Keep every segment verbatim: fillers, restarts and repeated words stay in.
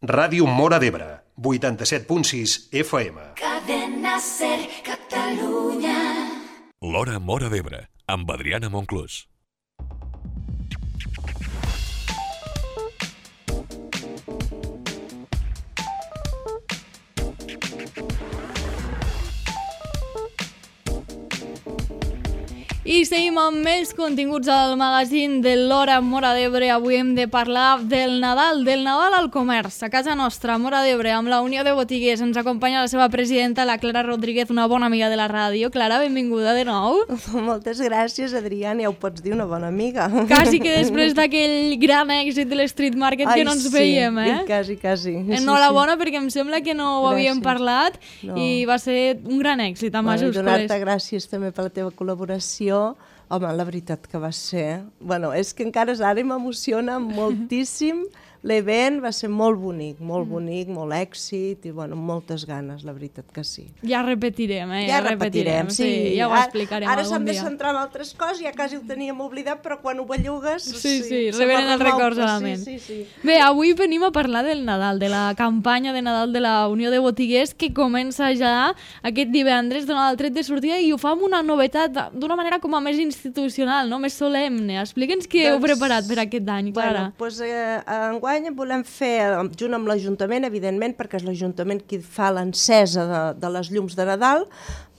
Ràdio Móra d'Ebre, vuitanta-set punt sis F M. Cadena Ser Catalunya. L'Hora Móra d'Ebre, amb Adriana Monclús. I seguim amb més continguts al magazín de l'Hora Móra d'Ebre. Avui hem de parlar del Nadal, del Nadal al comerç. A casa nostra, Móra d'Ebre, amb la Unió de Botiguers, ens acompanya la seva presidenta, la Clara Rodríguez, una bona amiga de la ràdio. Clara, benvinguda de nou. Moltes gràcies, Adriana, ja ho pots dir, una bona amiga. Quasi que després d'aquell gran èxit de l'Street Market Ai, que no ens sí, veiem, eh? Quasi, quasi. Enhorabona, sí, sí. Perquè em sembla que no ho havíem gràcies. parlat no. i va ser un gran èxit amb bueno, majúscules. Donar-te gràcies també per la teva col·laboració. Home, la veritat que va ser... Bueno, és que encara ara m'emociona moltíssim. L'event va ser molt bonic, molt bonic, molt èxit i, bueno, moltes ganes, la veritat que sí. Ja repetirem, eh? Ja, ja repetirem, sí. sí. Ja ho explicarem ara, ara algun dia. Ara s'han de centrar en altres coses, ja quasi ho teníem oblidat, però quan ho bellugues... Sí, sí, sí sí revenen els records a la ment. Sí, sí, sí. Bé, avui venim a parlar del Nadal, de la campanya de Nadal de la Unió de Botiguers, que comença ja aquest divendres, donant el tret de sortida, i ho fa amb una novetat d'una manera com a més institucional, no? Més solemne. Explica'ns què doncs, heu preparat per aquest any, Clara. Bueno, doncs eh, enguany volem fer junt amb l'Ajuntament, evidentment, perquè és l'Ajuntament qui fa l'encesa de, de les llums de Nadal,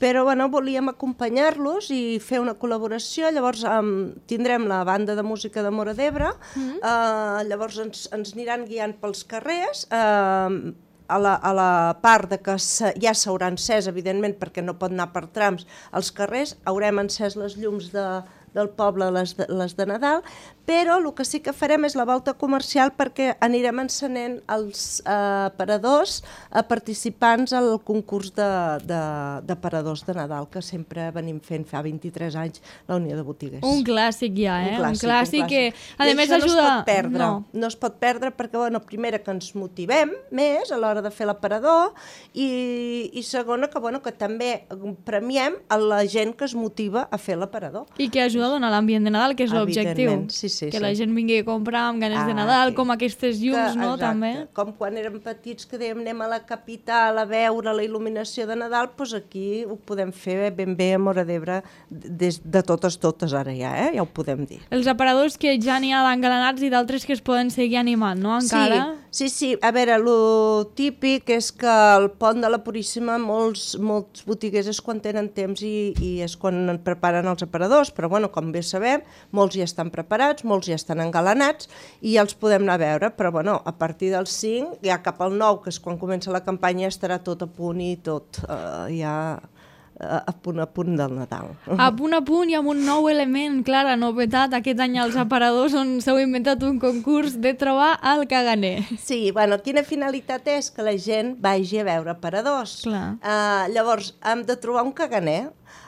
però bueno, volíem acompanyar-los i fer una col·laboració. Llavors um, tindrem la banda de música de Móra d'Ebre, mm-hmm. uh, llavors ens, ens aniran guiant pels carrers, uh, a la, a la part de que ja s'haurà encès, evidentment, perquè no pot anar per trams als carrers, haurem encès les llums de, del poble, les de, les de Nadal, però el que sí que farem és la volta comercial perquè anirem encenent els eh, aparadors eh, participants al concurs de, de, d'aparadors de Nadal, que sempre venim fent fa vint-i-tres anys la Unió de Botiguers. Un clàssic ja, eh? Un clàssic, un clàssic, un clàssic. que a més ajuda... no ajuda... es pot perdre, no. no es pot perdre perquè, bueno, primera, que ens motivem més a l'hora de fer l'aparador i, i segona, que, bueno, que també premiem a la gent que es motiva a fer l'aparador. I que ajuda a donar l'ambient de Nadal, que és l'objectiu. Sí, sí, que sí. la gent vingui a comprar amb ganes ah, de Nadal, sí. com aquestes llums, que, no? Exacte. També. Com quan érem petits que dèiem anem a la capital a veure la il·luminació de Nadal, doncs aquí ho podem fer ben bé a Móra d'Ebre des de totes, totes ara ja, eh? Ja ho podem dir. Els aparadors que ja n'hi ha d'engalanats i d'altres que es poden seguir animant, no? Encara... Sí, sí, sí. A veure, el típic és que al Pont de la Puríssima molts, molts botiguers és quan tenen temps i, i és quan preparen els aparadors, però bueno, com bé sabem, molts ja estan preparats, molts ja estan engalanats i ja els podem anar a veure, però bueno, a partir del cinc, ja cap al nou, que és quan comença la campanya, estarà tot a punt i tot uh, ja uh, a punt a punt del Nadal. A punt a punt i amb un nou element, Clara, novetat aquest any als aparadors on s'heu inventat un concurs de trobar el caganer. Sí, bueno, quina finalitat és? Que la gent vagi a veure aparadors. Clar. Uh, llavors, hem de trobar un caganer.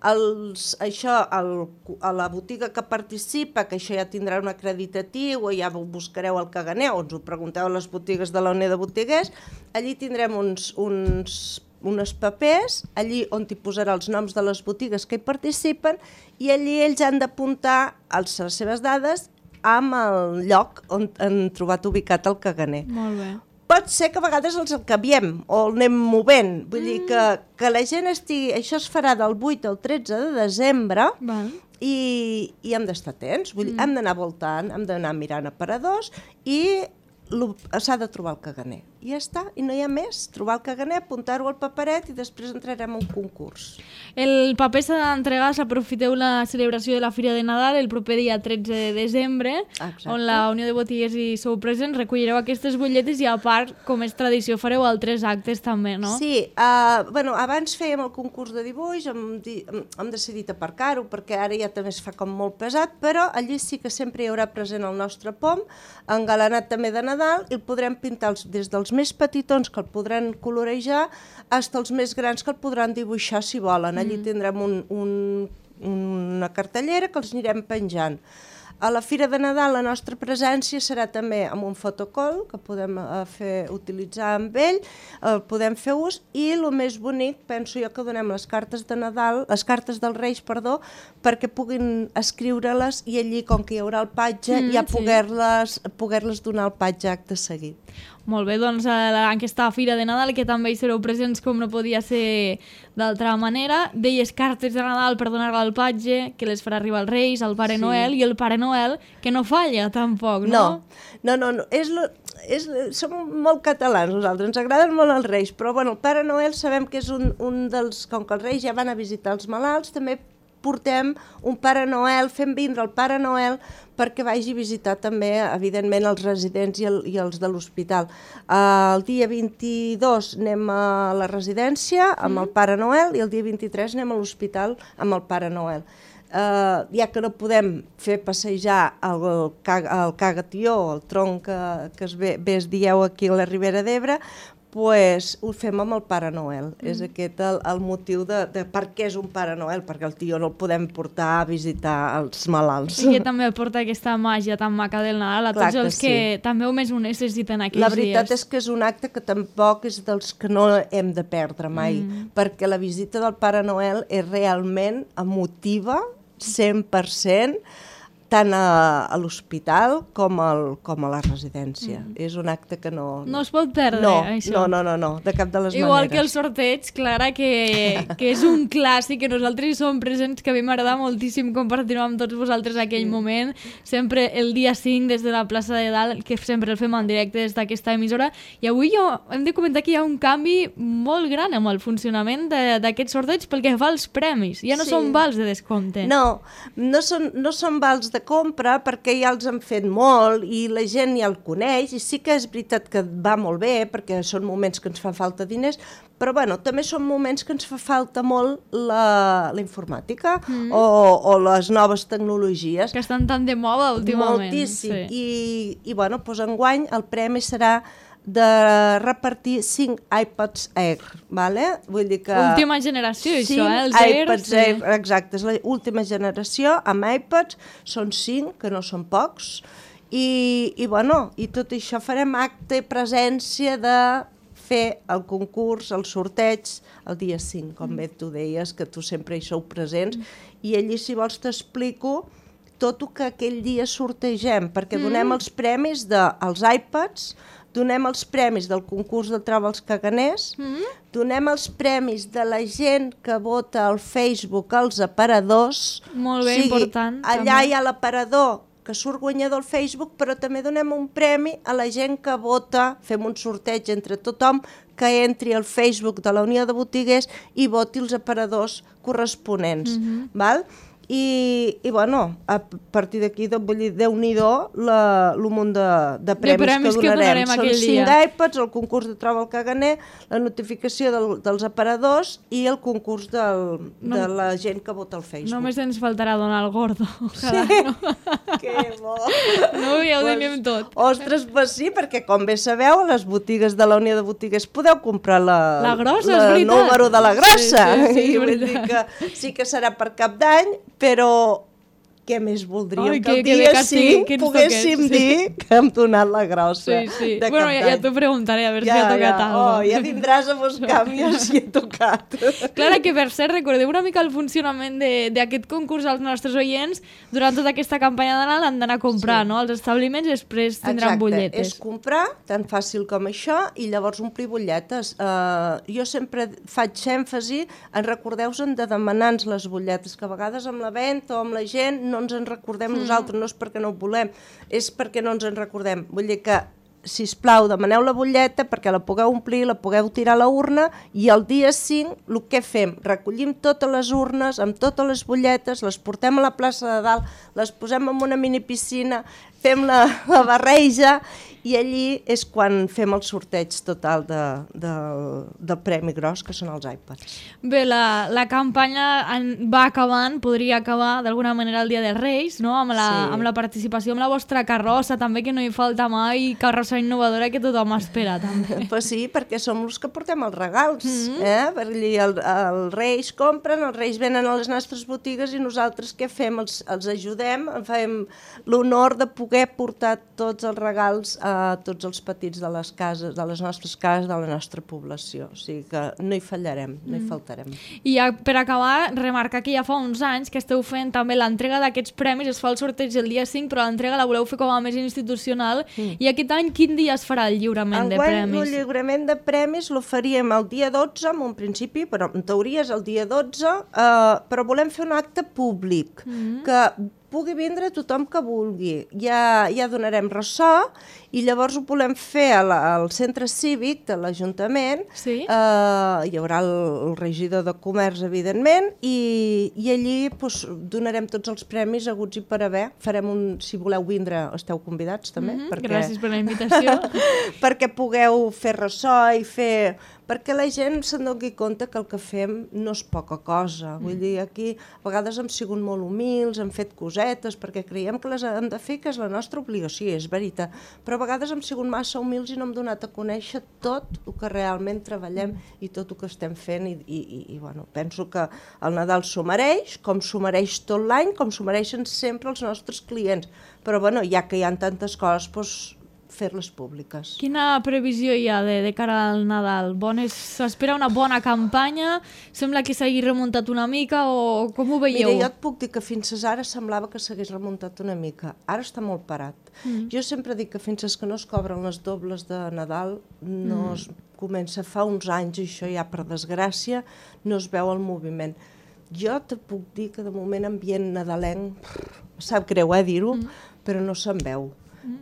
Els, això, el, a la botiga que participa, que això ja tindrà un acreditatiu o ja buscareu el caganer o ens ho pregunteu a les botigues de la Unió de Botiguers, allí tindrem uns, uns, uns papers, allí on hi posarà els noms de les botigues que hi participen i allí ells han d'apuntar les seves dades amb el lloc on han trobat ubicat el caganer. Molt bé. Pot ser que a vegades els canviem o el anem movent, vull mm. dir que, que la gent estigui... Això es farà del vuit al tretze de desembre Val. i, i hem d'estar atents, vull dir, Mm. hem d'anar voltant, hem d'anar mirant aparadors i s'ha de trobar el caganer. I ja està, i no hi ha més. Trobar el caganer, apuntar-ho al paperet i després entrarem a un concurs. El paper s'ha d'entregar, s'aprofiteu la celebració de la Fira de Nadal el proper dia tretze de desembre, Exacte. on la Unió de Botiguers hi sou presents, recollireu aquestes butlletes i a part, com és tradició, fareu altres actes també, no? Sí, uh, bueno, abans fèiem el concurs de dibuix, hem, di hem, hem decidit aparcar-ho perquè ara ja també es fa com molt pesat, però allí sí que sempre hi haurà present el nostre pom, engalanat també de Nadal, i el podrem pintar els, des dels més petitons que el podran colorejar fins als més grans que el podran dibuixar si volen. Allí mm. tindrem un, un, una cartellera que els anirem penjant. A la Fira de Nadal la nostra presència serà també amb un fotocall que podem uh, fer, utilitzar amb ell, uh, podem fer ús, i el més bonic, penso jo, que donem les cartes de Nadal, les cartes dels Reis, perdó, perquè puguin escriure-les i allí, com que hi haurà el patge, mm, ja poder-les sí. poder-les donar el patge acte seguit. Molt bé, doncs en aquesta Fira de Nadal, que també hi sereu presents com no podia ser d'altra manera, deies cartes de Nadal per donar al patge, que les farà arribar els Reis, el Pare sí. Noel, i el Pare Noel, que no falla tampoc, no? No, no, no, no. És lo, és, som molt catalans nosaltres, ens agraden molt els Reis, però bueno, el Pare Noel sabem que és un, un dels, com que els Reis ja van a visitar els malalts, també portem un Pare Noel, fem vindre el Pare Noel perquè vagi a visitar també, evidentment, els residents i, el, i els de l'hospital. Uh, el dia vint-i-dos anem a la residència amb mm. el Pare Noel i el dia vint-i-tres anem a l'hospital amb el Pare Noel. Uh, ja que no podem fer passejar el, el, el cagatió, el tronc que, que es ve, bé es dieu aquí a la Ribera d'Ebre, pues ho fem amb el Pare Noel. Mm. És aquest el, el motiu de, de per què és un Pare Noel, perquè el tio no el podem portar a visitar els malalts. I que també aporta aquesta màgia tan maca del Nadal a Clar tots els que, que sí. també només ho necessiten aquells dies. La veritat dies. és que és un acte que tampoc és dels que no hem de perdre mai, mm. perquè la visita del Pare Noel és realment emotiva, cent per cent, tant a, a l'hospital com, al, com a la residència. Mm. És un acte que no... No es pot perdre, no, això. No, no, no, no, de cap de les Igual maneres. Igual que el sorteig, Clara, que, que és un clàssic, que nosaltres hi som presents, que a mi m'agrada moltíssim compartir-ho amb tots vosaltres aquell mm. moment. Sempre el dia cinc, des de la plaça de Dalt, que sempre el fem en directe des d'aquesta emissora. I avui jo hem de comentar que hi ha un canvi molt gran amb el funcionament d'aquest sorteig pel que fa als premis. Ja no sí. són vals de descompte. No, no són, no són vals de compra perquè ja els han fet molt i la gent ja el coneix, i sí que és veritat que va molt bé perquè són moments que ens fa falta diners, però bueno, també són moments que ens fa falta molt la, la informàtica mm. o, o les noves tecnologies. Que estan tan de moda últimament. Moltíssim. Sí. I, i bueno, doncs enguany el premi serà de repartir cinc iPads Air, vale? Vull dir que... Última generació, això, eh? Els Air, iPads sí. Air, exacte, és l'última generació amb iPads, són cinc, que no són pocs, i, i bueno, i tot això farem acte i presència de fer el concurs, el sorteig, el dia cinc, com bé tu deies, que tu sempre hi sou presents, i allí, si vols, t'explico tot el que aquell dia sortegem, perquè donem els premis dels iPads, donem els premis del concurs de Troba els Caganers, mm. donem els premis de la gent que vota al Facebook als aparadors. Molt bé, o sigui, important. Allà també. Hi ha l'aparador que surt guanyador al Facebook, però també donem un premi a la gent que vota, fem un sorteig entre tothom que entri al Facebook de la Unió de Botiguers i voti els aparadors corresponents. Mm-hmm. Val? I, i bueno, a partir d'aquí, vull dir, Déu-n'hi-do el munt de, de, premis de premis que donarem. Que Són cinc dia. iPads, el concurs de Troba el Caganer, la notificació del, dels aparadors i el concurs del, no, de la gent que vota al Facebook. Només ens faltarà donar el gordo. Ojalà, sí? No? Que bo! No, ja ho pues, tenim tot. Ostres, pues sí, perquè com bé sabeu, a les botigues de la Unió de Botigues podeu comprar la, la grossa, la, és el número de la grossa. Sí, sí, sí, I vull dir que sí que serà per Cap d'Any, però què més voldríem? Ai, que el que, dia que sí poguéssim toqués, dir sí. que hem donat la grossa. Sí, sí. De bueno, Cap ja, d'Any. ja t'ho preguntaré, a veure ja, si ha tocat ja. alguna Oh, ja vindràs a buscar-me si he tocat. Clara, que per cert, recordeu una mica el funcionament d'aquest concurs als nostres oients. Durant tota aquesta campanya de Nadal han d'anar a comprar, sí. no? Els establiments i després tindran Exacte. butlletes. És comprar, tan fàcil com això, i llavors omplir butlletes. Uh, jo sempre faig èmfasi en recordeu-vos de demanar-nos les butlletes, que a vegades amb la venda o amb la gent no ens en recordem mm. nosaltres, no és perquè no ho volem, és perquè no ens en recordem. Vull dir que, sisplau, demaneu la butlleta perquè la pugueu omplir, la pugueu tirar a la urna, i el dia cinc el que fem? Recollim totes les urnes amb totes les butlletes, les portem a la plaça de Dalt, les posem en una mini piscina, fem la, la barreja i allí és quan fem el sorteig total de, de, del premi gros, que són els iPads. Bé, la, la campanya en, va acabant, podria acabar d'alguna manera el Dia dels Reis, no? Amb la, Sí. amb la participació amb la vostra carrossa, també, que no hi falta mai, carrossa innovadora que tothom espera, també. Pues sí, perquè som els que portem els regals, mm-hmm. eh? Per allí el, els Reis compren, els Reis venen a les nostres botigues i nosaltres què fem? Els, els ajudem, fem l'honor de poder portar tots els regals a tots els petits de les cases, de les nostres cases, de la nostra població. O sigui que no hi fallarem, no hi faltarem. I ja, per acabar, remarcar que ja fa uns anys que esteu fent també l'entrega d'aquests premis, es fa el sorteig el dia cinc, però l'entrega la voleu fer com a més institucional. Mm. I aquest any quin dia es farà el lliurament de Enguany, premis? el lliurament de premis lo faríem el dia dotze, en un principi, però en teoria és el dia dotze, eh, però volem fer un acte públic, mm. que pugui vindre tothom que vulgui. Ja, ja donarem ressò i llavors ho volem fer a la, al centre cívic de l'Ajuntament. Sí? Uh, hi haurà el, el regidor de comerç, evidentment, i, i allí pues, donarem tots els premis aguts i per haver. Farem un, si voleu vindre, esteu convidats també. Mm-hmm. perquè, Gràcies per la invitació. perquè pugueu fer ressò i fer... perquè la gent se'n doni compte que el que fem no és poca cosa. Vull dir, aquí a vegades hem sigut molt humils, hem fet cosetes, perquè creiem que les hem de fer, que és la nostra obligació, és veritat. Però a vegades hem sigut massa humils i no hem donat a conèixer tot el que realment treballem i tot el que estem fent. I, i, i, i bueno, penso que el Nadal s'ho mereix, com s'ho mereix tot l'any, com s'ho mereixen sempre els nostres clients. Però bueno, ja que hi ha tantes coses, doncs, fer-les públiques. Quina previsió hi ha de, de cara al Nadal? Bones, s'espera una bona campanya? Sembla que s'hagi remuntat una mica o com ho veieu? Mira, jo et puc dir que fins ara semblava que s'hagués remuntat una mica. Ara està molt parat. Mm. Jo sempre dic que fins que no es cobren les dobles de Nadal no mm. es comença. Fa uns anys, això ja per desgràcia, no es veu el moviment. Jo te puc dir que de moment ambient nadalenc, sap greu eh, dir-ho, mm. però no se'n veu.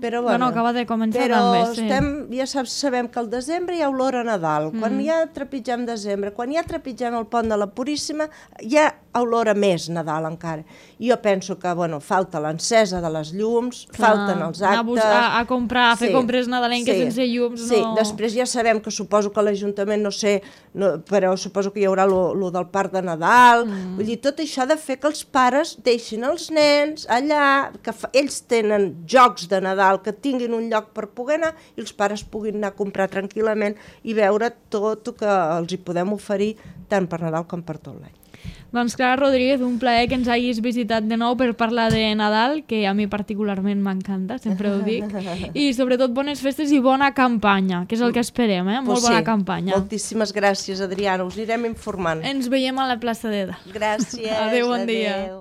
Però, bueno, bueno, acaba de començar però també, sí. estem, ja saps, sabem que al desembre hi ha olor a Nadal. Mm. Quan ja trepitgem desembre, quan ja trepitgem el pont de la Puríssima, hi ha olor a més Nadal encara. I jo penso que, bueno, falta l'encesa de les llums, Clar, falten els actes... A, a, a comprar, a fer sí, compres nadalenques sí, sense llums, sí. no... Després ja sabem que suposo que l'Ajuntament, no sé, no, però suposo que hi haurà lo, lo del parc de Nadal. Mm. Vull dir, tot això ha de fer que els pares deixin els nens allà, que fa, ells tenen jocs de Nadal, que tinguin un lloc per poder anar i els pares puguin anar a comprar tranquil·lament i veure tot el que els hi podem oferir tant per Nadal com per tot l'any. Doncs Clara Rodríguez, un plaer que ens hagis visitat de nou per parlar de Nadal, que a mi particularment m'encanta, sempre ho dic, i sobretot bones festes i bona campanya, que és el que esperem, eh? Molt pues bona sí, campanya. Moltíssimes gràcies, Adriana, us anirem informant. Ens veiem a la plaça d'Eda. Gràcies. Adéu, bon dia. Adéu.